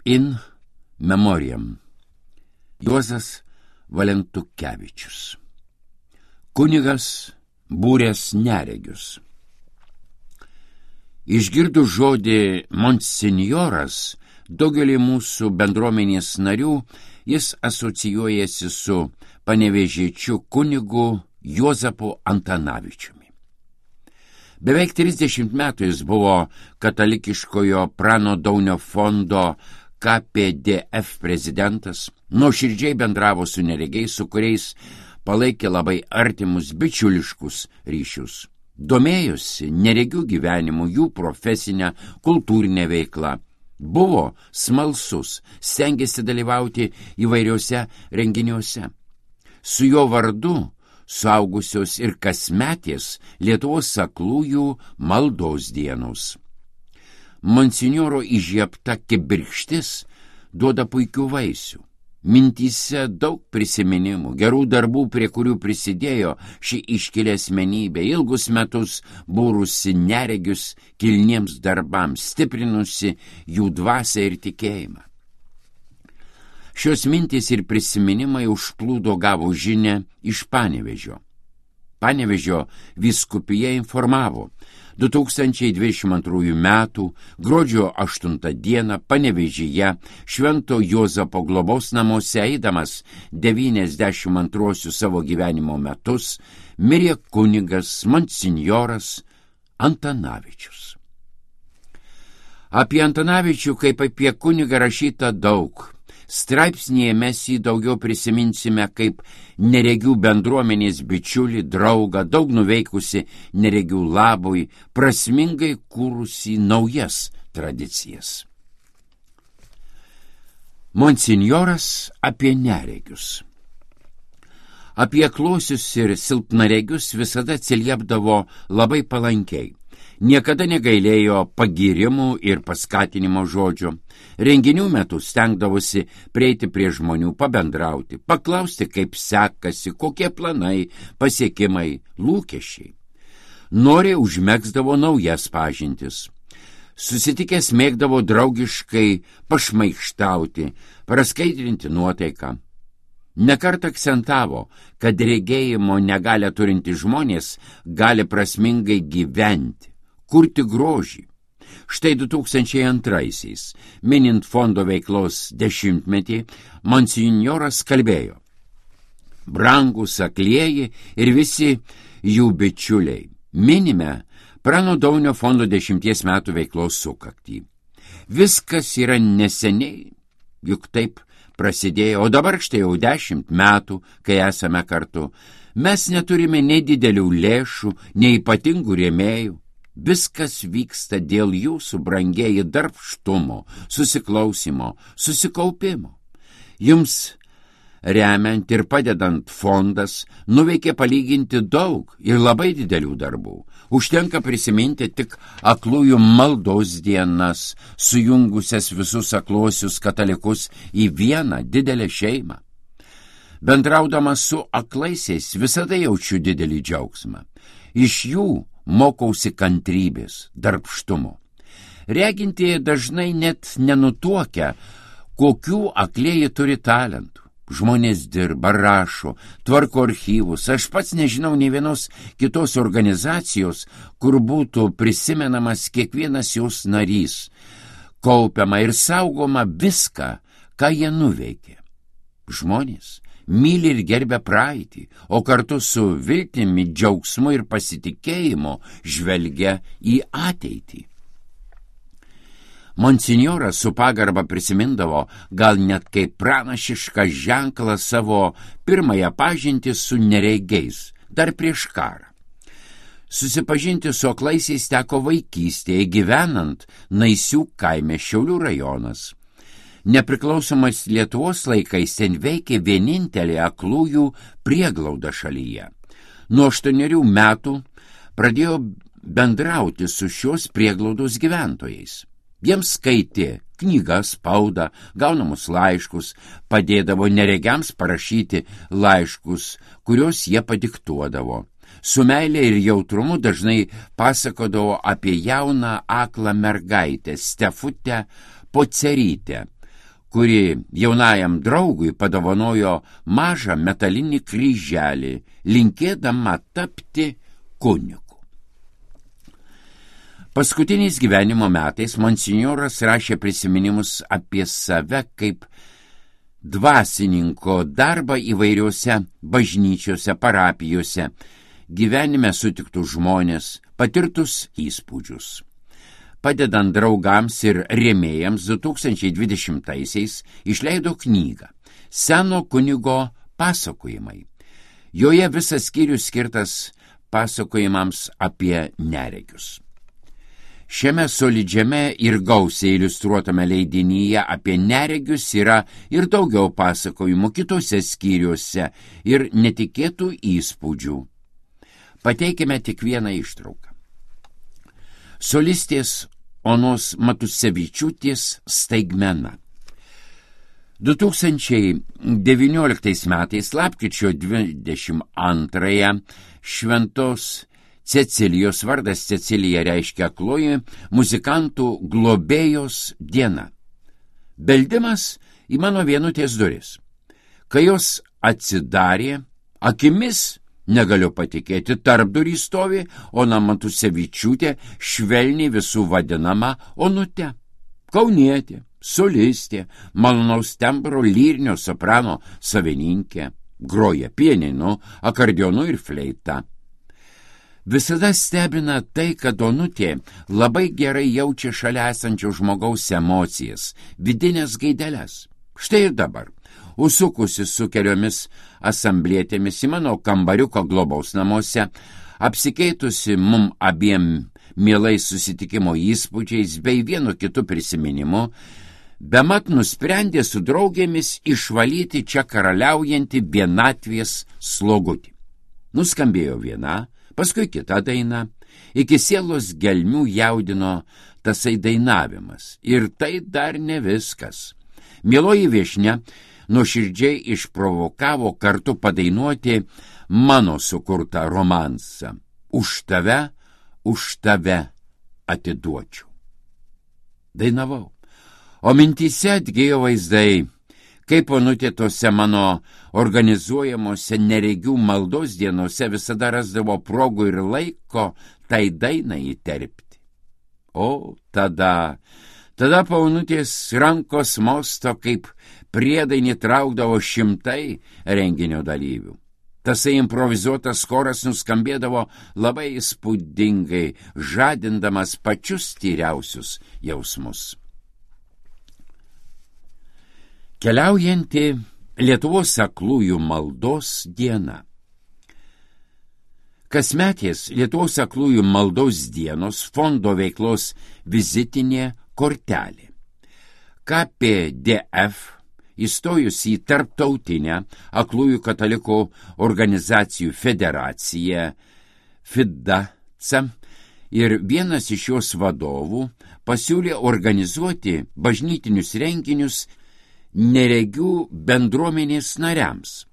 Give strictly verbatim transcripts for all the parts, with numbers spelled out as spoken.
In memoriam. Juozas Valentukevičius. Kunigas būręs neregius. Išgirdus žodį monsinjoras, daugelį mūsų bendruomenės narių jis asocijuojasi su panevėžiečiu kunigu Juozapu Antanavičiumi. Beveik trisdešimt metų jis buvo katalikiškojo Prano Daunio fondo K P D F prezidentas, nuoširdžiai bendravo su neregiais, su kuriais palaikė labai artimus bičiuliškus ryšius. Domėjosi neregių gyvenimu, jų profesinę, kultūrinę veiklą. Buvo smalsus, stengėsi dalyvauti įvairiuose renginiuose. Su jo vardu suaugusios ir kasmetės Lietuvos aklųjų maldos dienos. Monsinjoro įžiebta kibirkštis duoda puikių vaisių. Mintyse daug prisiminimų, gerų darbų, prie kurių prisidėjo ši iškili asmenybė, ilgus metus būrusi neregius kilniems darbams, stiprinusi jų dvasią ir tikėjimą. Šios mintys ir prisiminimai užplūdo gavo žinią iš Panevėžio. Panevėžio vyskupija informavo, du tūkstančiai dvidešimt antrųjų metų gruodžio aštuntą dieną Panevėžyje Švento Juozapo globos namuose eidamas devyniasdešimt antruosius savo gyvenimo metus mirė kunigas monsinjoras Antanavičius. Apie Antanavičių kaip apie kunigą rašyta daug. Straipsnėje mes jį daugiau prisiminsime kaip neregių bendruomenės bičiulį, draugą, daug nuveikusi neregių labui, prasmingai kūrusi naujas tradicijas. Monsinjoras apie neregius. Apie aklosius ir silpnaregius visada atsiliepdavo labai palankiai. Niekada negailėjo pagyrimų ir paskatinimo žodžių. Renginių metu stengdavosi prieiti prie žmonių, pabendrauti, paklausti, kaip sekasi, kokie planai, pasiekimai, lūkesčiai. Noriai užmegzdavo naujas pažintis. Susitikęs mėgdavo draugiškai pašmaikštauti, praskaidrinti nuotaiką. Nekart akcentavo, kad regėjimo negalią turinti žmonės gali prasmingai gyventi, kurti grožį. Štai du tūkstančiai antraisiais, minint fondo veiklos dešimtmetį, monsinjoras kalbėjo: brangus aklieji ir visi jų bičiuliai, minime Prano Daunio fondo dešimties metų veiklos sukaktį. Viskas yra neseniai, juk taip prasidėjo, o dabar štai jau dešimt metų, kai esame kartu. Mes neturime nei didelių lėšų, nei ypatingų rėmėjų. Viskas vyksta dėl jūsų, brangieji, darbštumo, susiklausimo, susikaupimo. Jums remiant ir padedant fondas nuveikė palyginti daug ir labai didelių darbų. Užtenka prisiminti tik aklųjų maldos dienas, sujungusias visus akluosius katalikus į vieną didelę šeimą. Bendraudamas su aklaisiais visada jaučiu didelį džiaugsmą. Iš jų mokausi kantrybės, darbštumo. Regintieji dažnai net nenutuokia, kokių aklieji turi talentų. Žmonės dirba, rašo, tvarko archyvus. Aš pats nežinau nei vienos kitos organizacijos, kur būtų prisimenamas kiekvienas jos narys, kaupiama ir saugoma viską, ką jie nuveikė. Žmonės myli ir gerbia praeitį, o kartu su viltimi, džiaugsmu ir pasitikėjimu žvelgia į ateitį. Monsinjoras su pagarba prisimindavo gal net kaip pranašišką ženklą savo pirmąją pažintį su neregiais, dar prieš karą. Susipažinti su aklaisiais teko vaikystėje, gyvenant Naisių kaime, Šiaulių rajonas. Nepriklausomas Lietuvos laikais ten veikė vienintelė aklųjų prieglauda šalyje. Nuo aštuonerių metų pradėjo bendrauti su šios prieglaudos gyventojais. Jiems skaitė knygas, spaudą, gaunamus laiškus, padėdavo neregiams parašyti laiškus, kuriuos jie padiktuodavo. Su meilė ir jautrumu dažnai pasakodavo apie jauną aklą mergaitę Stefutę Pocerytę, kuri jaunajam draugui padovanojo mažą metalinį kryželį, linkėdama tapti kunigu. Paskutiniais gyvenimo metais monsinjoras rašė prisiminimus apie save kaip dvasininko darbą įvairiuose bažnyčiose, parapijose, gyvenime sutiktus žmonės, patirtus įspūdžius. Padedant draugams ir rėmėjams du tūkstančiai dvidešimtaisiais išleido knygą Seno kunigo pasakojimai. Joje visas skyrius skirtas pasakojimams apie neregius. Šiame solidžiame ir gausiai iliustruotame leidinyje apie neregius yra ir daugiau pasakojimų kitose skyriuose ir netikėtų įspūdžių. Pateikime tik vieną ištrauką. Solistės Onos Matusevičiūtės staigmena. du tūkstančiai devynioliktais metais lapkričio dvidešimt antrąją šventos Cecilijos, vardas Cecilija reiškia akloji, muzikantų globėjos diena. Beldimas į mano vienutės duris. Kai jos atsidarė, akimis negaliu patikėti, tarpdurį stovi Ona Matusevičiūtė, švelniai visų vadinama Onute. Kaunietė, solistė, malonaus tembro lyrinio soprano savininkė, groja pianinu, akordeonu ir fleita. Visada stebina tai, kad Onutė labai gerai jaučia šalia esančio žmogaus emocijas, vidinės gaideles. Štai ir dabar, užsukusi su keliomis asamblėtėmis į mano kambariuko globaus namuose, apsikeitusi mum abiem mielais susitikimo įspūdžiais bei vienu kitu prisiminimu, bemat nusprendė su draugėmis išvalyti čia karaliaujantį vienatvės slogutį. Nuskambėjo viena, paskui kita daina, iki sielos gelmių jaudino tasai dainavimas. Ir tai dar ne viskas. Mieloji viešnia nuoširdžiai išprovokavo kartu padainuoti mano sukurtą romansą. Už tave, už tave atiduočiau. Dainavau. O mintyse atgėjo vaizdai, kaip Onutė tose mano organizuojamuose neregių maldos dienose visada rasdavo progų ir laiko tai dainai įterpti. O tada, tada po Onutės rankos mosto kaip priedainį traukdavo šimtai renginio dalyvių. Tasai improvizuotas choras nuskambėdavo labai įspūdingai, žadindamas pačius tyriausius jausmus. Keliaujanti Lietuvos aklųjų maldos diena. Kasmetės Lietuvos aklųjų maldos dienos fondo veiklos vizitinė kortelė. K P D F įstojus į Tarptautinę aklųjų katalikų organizacijų federaciją FIDACA ir vienas iš jos vadovų pasiūlė organizuoti bažnytinius renginius neregių bendruomenės nariams.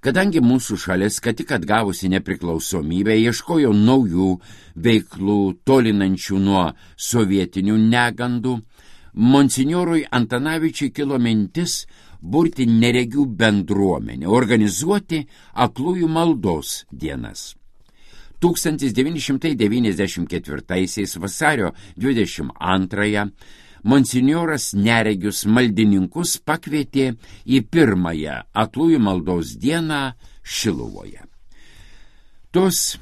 Kadangi mūsų šalis, kad tik atgavusi nepriklausomybę, ieškojo naujų veiklų tolinančių nuo sovietinių negandų, monsinjorui Antanavičiui kilo mintis burti neregių bendruomenę, organizuoti aklųjų maldos dienas. tūkstantis devyni šimtai devyniasdešimt ketvirtaisiais vasario dvidešimt antrąją monsinjoras neregius maldininkus pakvietė į pirmąją aklųjų maldos dieną Šiluvoje. Tos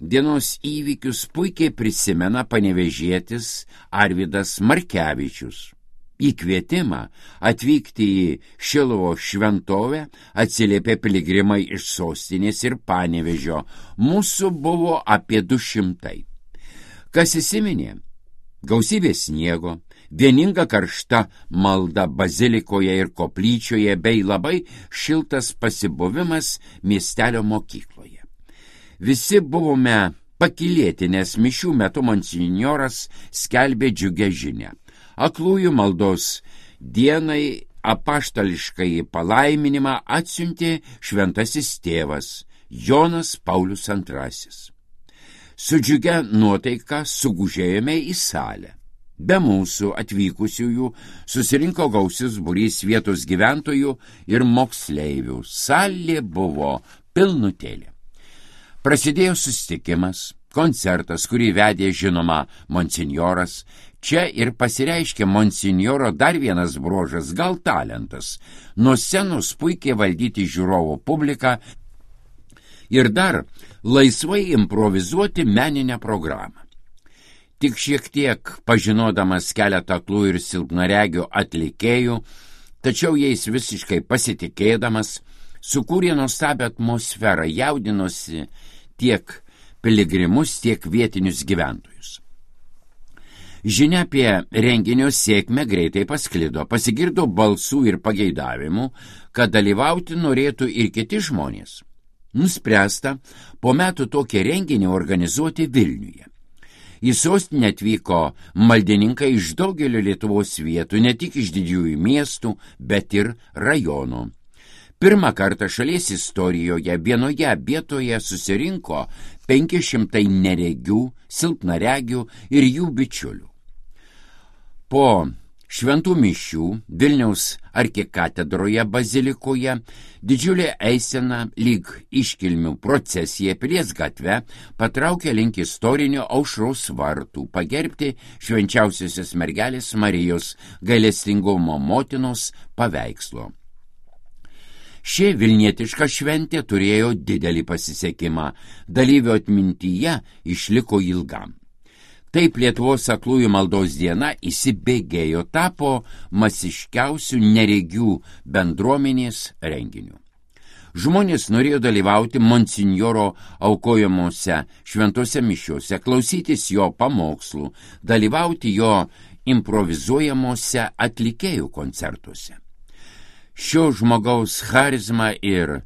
dienos įvykius puikiai prisimena panevėžietis Arvydas Markevičius. Į kvietimą atvykti į Šiluvo šventovę atsiliepė piligrimai iš sostinės ir Panevėžio. Mūsų buvo apie du šimtai. Kas įsiminė? Gausybė sniego, vieninga karšta malda bazilikoje ir koplyčioje bei labai šiltas pasibuvimas miestelio mokykloje. Visi buvome pakylėti, nes mišių metu monsinjoras skelbė džiugę žinią. Aklųjų maldos dienai apaštališkai palaiminimą atsiuntė šventasis tėvas Jonas Paulius antrasis. Su džiugia nuotaika sugužėjome į salę. Be mūsų atvykusiųjų susirinko gausius būrys vietos gyventojų ir moksleivių. Salė buvo pilnutėlė. Prasidėjo susitikimas, koncertas, kurį vedė žinoma monsinjoras. Čia ir pasireiškė monsinjoro dar vienas bruožas, gal talentas. Nuo scenos puikiai valdyti žiūrovo publiką ir dar laisvai improvizuoti meninę programą. Tik šiek tiek pažinodamas keletą aklų ir silpnaregių atlikėjų, tačiau jais visiškai pasitikėdamas, sukūrė nuostabią atmosferą, jaudinosi tiek piligrimus, tiek vietinius gyventojus. Žinia apie renginio sėkmę greitai pasklido, pasigirdo balsų ir pageidavimų, kad dalyvauti norėtų ir kiti žmonės. Nuspręsta po metų tokį renginį organizuoti Vilniuje. Į sostinę atvyko maldininkai iš daugelio Lietuvos vietų, ne tik iš didžiųjų miestų, bet ir rajonų. Pirmą kartą šalies istorijoje vienoje vietoje susirinko penki šimtai neregių, silpnaregių ir jų bičiulių. Po šventų mišių Vilniaus arkikatedroje bazilikoje didžiulė eisena lyg iškilmių procesija Pilies gatve patraukė link istorinio Aušros vartų pagerbti švenčiausiosios mergelės Marijos gailestingumo motinos paveikslo. Ši vilnietiška šventė turėjo didelį pasisekimą, dalyvio atmintyje išliko ilgam. Taip Lietuvos aklųjų maldos diena įsibėgėjo, tapo masiškiausių neregių bendruomenės renginiu. Žmonės norėjo dalyvauti monsinjoro aukojamuose šventose mišiuose, klausytis jo pamokslų, dalyvauti jo improvizuojamuose atlikėjų koncertuose. Šio žmogaus charizma ir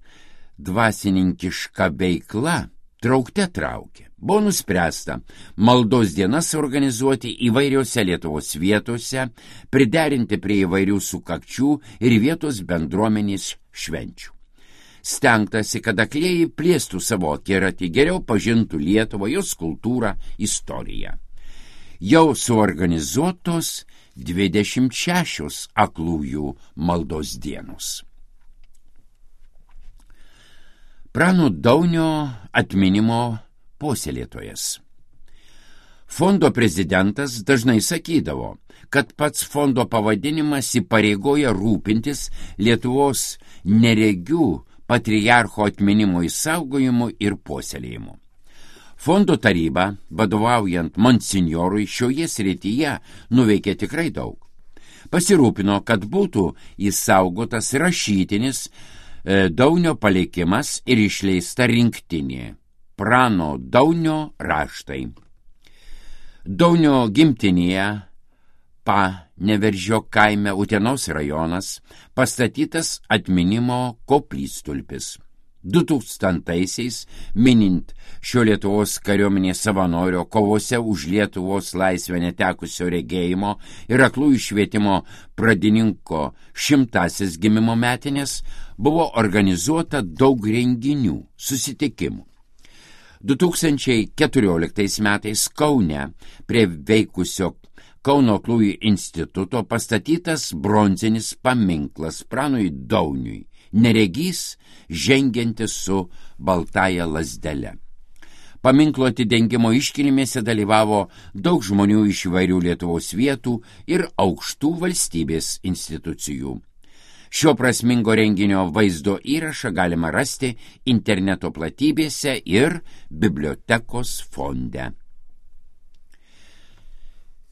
dvasininkiška veikla traukte traukė. Buvo nuspręsta maldos dienas organizuoti įvairiose Lietuvos vietose, priderinti prie įvairių sukakčių ir vietos bendruomenės švenčių. Stengtasi, kad aklieji plėstų savo akiratį, geriau pažintų Lietuvą, jos kultūrą, istoriją. Jau suorganizuotos dvidešimt šešios aklųjų maldos dienos. Prano Daunio atminimo puoselėtojas. Fondo prezidentas dažnai sakydavo, kad pats fondo pavadinimas įpareigoja rūpintis Lietuvos neregių patriarcho atminimo išsaugojimu ir puoselėjimu. Fondo taryba, vadovaujant monsinjorui, šioje srityje nuveikė tikrai daug. Pasirūpino, kad būtų išsaugotas rašytinis e, Daunio palikimas ir išleista rinktinė Prano Daunio raštai. Daunio gimtinėje Paneveržio kaime Utenos rajonas pastatytas atminimo koplytstulpis. du tūkstantaisiais, minint šio Lietuvos kariuomenės savanorio kovose už Lietuvos laisvę netekusio regėjimo ir aklųjų švietimo pradininko šimtasis gimimo metinės, buvo organizuota daug renginių, susitikimų. du tūkstančiai keturioliktais metais Kaune prie veikusio Kauno aklųjų instituto pastatytas bronzinis paminklas Pranui Dauniui, neregys žengiantis su baltaja lazdele. Paminklo atidengimo iškilmėse dalyvavo daug žmonių iš įvairių Lietuvos vietų ir aukštų valstybės institucijų. Šio prasmingo renginio vaizdo įrašą galima rasti interneto platybėse ir bibliotekos fonde.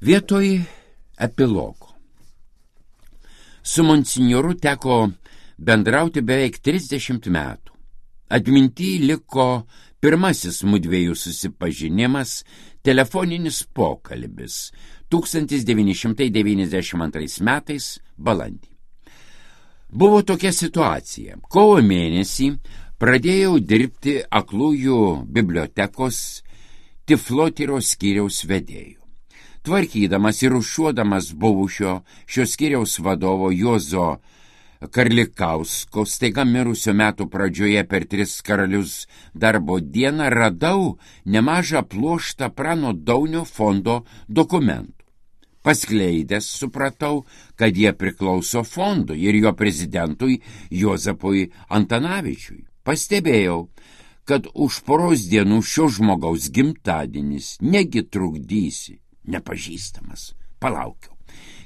Vietoj epilogo. Su monsinjoru teko bendrauti beveik trisdešimt metų. Atminty liko pirmasis mudviejų susipažinimas, telefoninis pokalbis tūkstantis devyni šimtai devyniasdešimt antrais metais balandį. Buvo tokia situacija. Kovo mėnesį pradėjau dirbti aklųjų bibliotekos Tiflotyros skyriaus vedėjų. Tvarkydamas ir rūšiuodamas buvusio šios skyriaus vadovo Juozo Karlikausko staiga mirusio metų pradžioje per tris karalius darbo dieną radau nemažą pluoštą Prano Daunio fondo dokumentų. Paskleidęs supratau, kad jie priklauso fondui ir jo prezidentui Juozapui Antanavičiui. Pastebėjau, kad už poros dienų šio žmogaus gimtadienis, negi trukdysi, nepažįstamas. Palaukiau.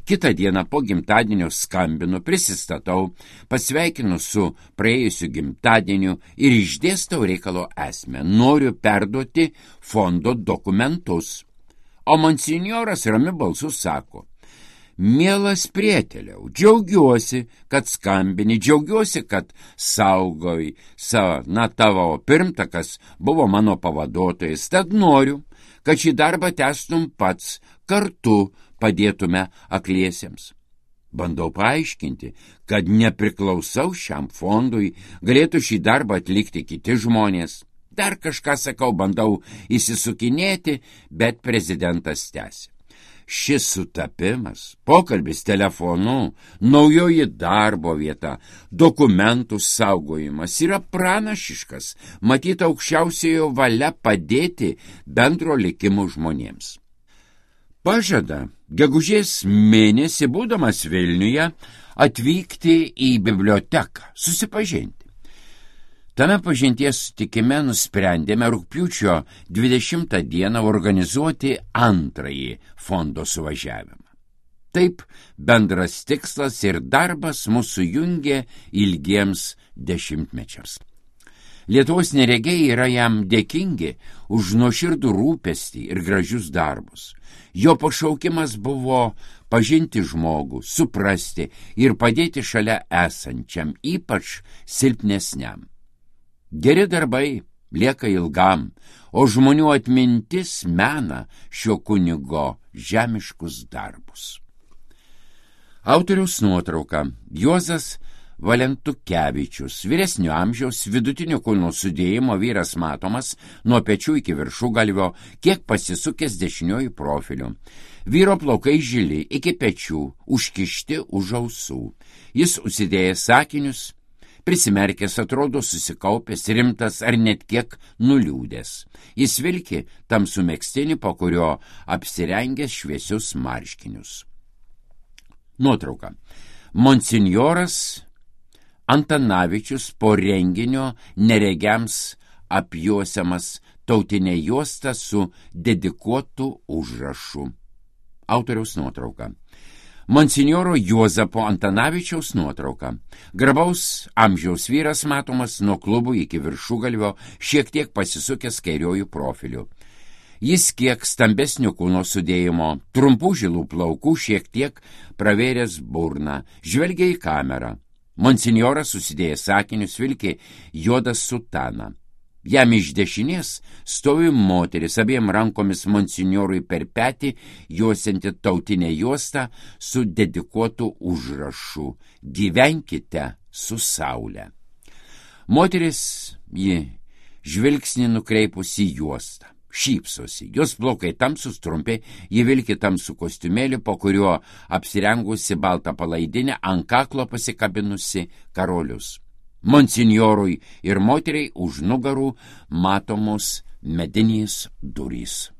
Kitą dieną po gimtadienio skambinu, prisistatau, pasveikinu su praėjusiu gimtadieniu ir išdėstau reikalo esmę. Noriu perduoti fondo dokumentus. O monsinjoras ramiu balsu sako: mielas prieteliau, džiaugiuosi, kad skambini, džiaugiuosi, kad saugai, sa, na tavo pirmtakas buvo mano pavaduotojas, tad noriu, kad šį darbą tęstum pats, kartu padėtume akliesiems. Bandau paaiškinti, kad nepriklausau šiam fondui, galėtų šį darbą atlikti kiti žmonės. Dar kažką sakau, bandau įsisukinėti, bet prezidentas tęsė. Šis sutapimas, pokalbis telefonu, naujoji darbo vieta, dokumentų saugojimas yra pranašiškas, matyt aukščiausiojo valia padėti bendro likimo žmonėms. Pažada gegužės mėnesį, būdamas Vilniuje, atvykti į biblioteką, susipažinti. Tame pažinties sutikime nusprendėme rugpjūčio dvidešimtą dieną organizuoti antrąjį fondo suvažiavimą. Taip bendras tikslas ir darbas mūsų jungė ilgiems dešimtmečiams. Lietuvos neregiai yra jam dėkingi už nuoširdų rūpestį ir gražius darbus. Jo pašaukimas buvo pažinti žmogų, suprasti ir padėti šalia esančiam, ypač silpnesniam. Geri darbai lieka ilgam, o žmonių atmintis mena šio kunigo žemiškus darbus. Autoriaus nuotrauka: Juozas Valentukevičius, vyresnio amžiaus, vidutinio kūno sudėjimo vyras, matomas nuo pečių iki viršugalvio, kiek pasisukęs dešiniuoju profiliu. Vyro plaukai žili iki pečių, užkišti už ausų. Jis užsidėjęs sakinius, prisimerkęs, atrodo susikaupęs, rimtas ar net kiek nuliūdęs. Jis vilki tamsų megztinį, po kurio apsirengęs šviesius marškinius. Nuotrauka: monsinjoras Antanavičius po renginio neregiams apjuosiamas tautinė juosta su dedikuotu užrašu. Autoriaus nuotrauka: monsinjoro Juozapo Antanavičiaus nuotrauka. Garbaus amžiaus vyras, matomas nuo klubų iki viršugalvio, šiek tiek pasisukęs kairiojų profiliu. Jis kiek stambesnio kūno sudėjimo, trumpų žilų plaukų, šiek tiek pravėręs burną, žvelgia į kamerą. Monsinjoras susidėjęs sakinius, vilki juodą sutaną. Jam iš dešinės stovi moteris, abiem rankomis monsinjorui per petį juosianti tautinę juostą su dedikuotu užrašu: gyvenkite su saule. Moteris, ji žvilgsnį nukreipusi į juostą, šypsosi, jos plaukai tamsus, trumpi, ji vilki tamsų kostiumėlį, po kuriuo apsirengusi baltą palaidinę, ant kaklo pasikabinusi karolius. Monsinjorui ir moteriai už nugarų matomos medinės durys.